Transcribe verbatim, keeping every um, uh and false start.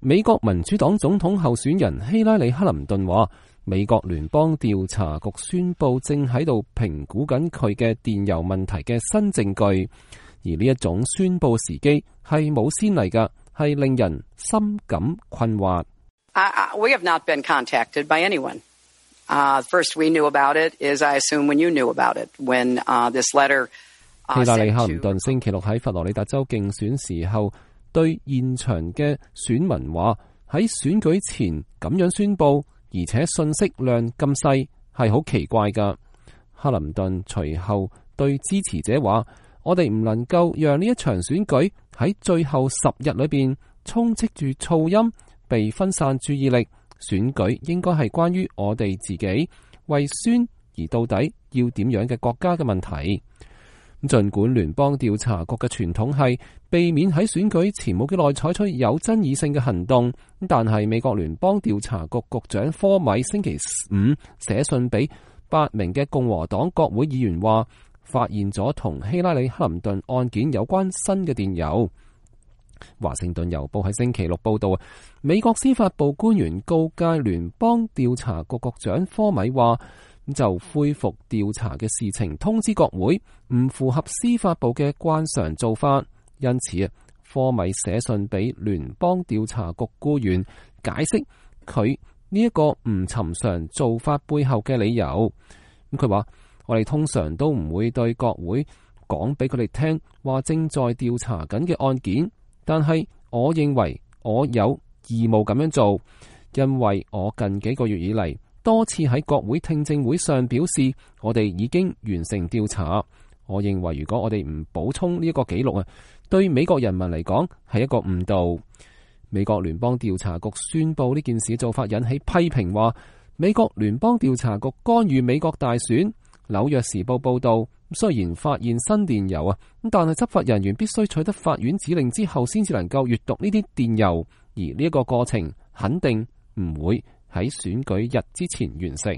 美國民主黨總統候選人希拉里·克林頓話，美國聯邦調查局宣布正喺度評估緊佢嘅電郵問題嘅新證據，而呢一種宣布時機係冇先例㗎，係令人深感困惑。I, I, we have not been contacted by anyone. Uh, first we knew about it is I assume when you knew about it, when uh, this letter, uh, 希拉里·克林頓星期六喺佛羅里達州競選時候，對現場嘅選民話，喺選舉前咁樣宣佈，而且信息量咁細，係好奇怪㗎。克林頓隨後對支持者話，我哋唔能夠讓呢一場選舉喺最後十日裏邊充斥住噪音，被分散注意力。選舉應該係關於我哋自己為宣而到底要點樣嘅國家嘅問題。儘管聯邦調查局嘅傳統係避免喺選舉前冇幾耐採取有爭議性嘅行動，但係美國聯邦調查局局長科米星期五寫信俾八名嘅共和黨國會議員話，發現咗同希拉里·克林頓案件有關新嘅電郵。華盛頓郵報喺星期六報道，美國司法部官員告誡聯邦調查局局長科米話，就恢復調查嘅事情通知國會，唔符合司法部嘅慣常做法。因此啊，科米寫信俾聯邦調查局僱員，解釋佢呢一個唔尋常做法背後嘅理由。咁佢話，我哋通常都唔會對國會講俾佢哋聽話正在調查緊嘅案件。但係我認為我有義務咁樣做，因為我近幾個月以嚟多次喺國會聽證會上表示，我哋已經完成調查。我認為如果我哋唔補充呢一個記錄啊，對美國人民嚟講係一個誤導。美國聯邦調查局宣布呢件事做法引起批評，話美國聯邦調查局干預美國大選。紐約時報報道，雖然發現新電郵啊，但係執法人員必須取得法院指令之後，先至能夠閱讀呢啲電郵，而呢一個過程肯定唔會喺選舉日之前完成。